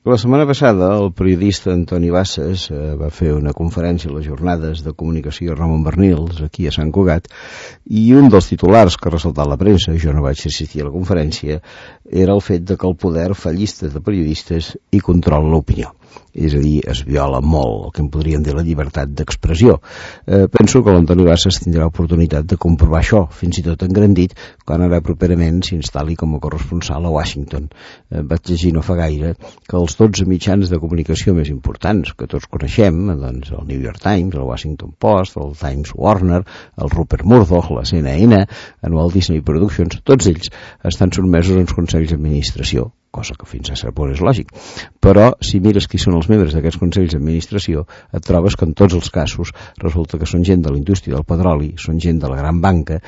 La setmana passada el periodista Antoni Bassas va fer una conferència a les jornades de comunicació Ramon Bernils aquí a Sant Cugat i un dels titulars que ha ressaltat la premsa, jo no vaig assistir a la conferència, era el fet de que el poder fa llistes de periodistes i controla l'opinió. És a dir, es viola molt el que en podríem dir la llibertat d'expressió. Penso que l'Antoni Bassas tindrà oportunitat de comprovar això, fins i tot engrandit, quan ara properament s'instal·li com a corresponsal a Washington. Vaig llegir no fa gaire que els 12 mitjans de comunicació més importants que tots coneixem, doncs el New York Times, el Washington Post, el Times Warner, el Rupert Murdoch, la CNN, el Walt Disney Productions, tots ells estan sotmesos als consells d'administració, cosa que fins a cert punt és lògic. Però, si mires qui són els membres d'aquests consells d'administració, et trobes que en tots els casos resulta que són gent de la indústria del petroli, són gent de la gran banca,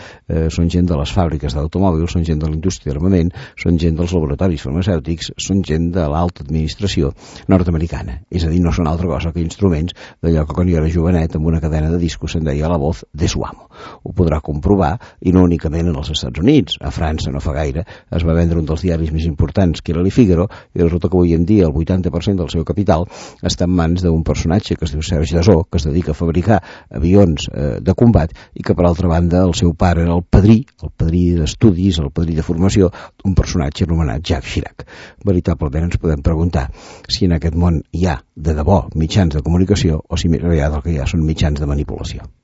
són gent de les fàbriques d'automòbils, són gent de la indústria d'armament, són gent dels laboratoris farmacèutics, són gent de l'alta administració nord-americana. És a dir, no són altra cosa que instruments d'allò que quan jo era jovenet amb una cadena de discos se'n deia la voz de su amo. Ho podrà comprovar, i no únicament en els Estats Units. A França, no fa gaire, es va vendre un dels diaris més importants, que era Le Figaro, i resulta que avui en dia el 80% del seu capital està en mans d'un personatge que es diu Serge Dassault, que es dedica a fabricar avions de combat, i que per altra banda el seu pare era el padrí d'estudis, el padrí de formació d'un personatge anomenat Jacques Chirac. Veritablement ens podem preguntar si en aquest món hi ha de debò mitjans de comunicació o si més aviat el que hi ha són mitjans de manipulació.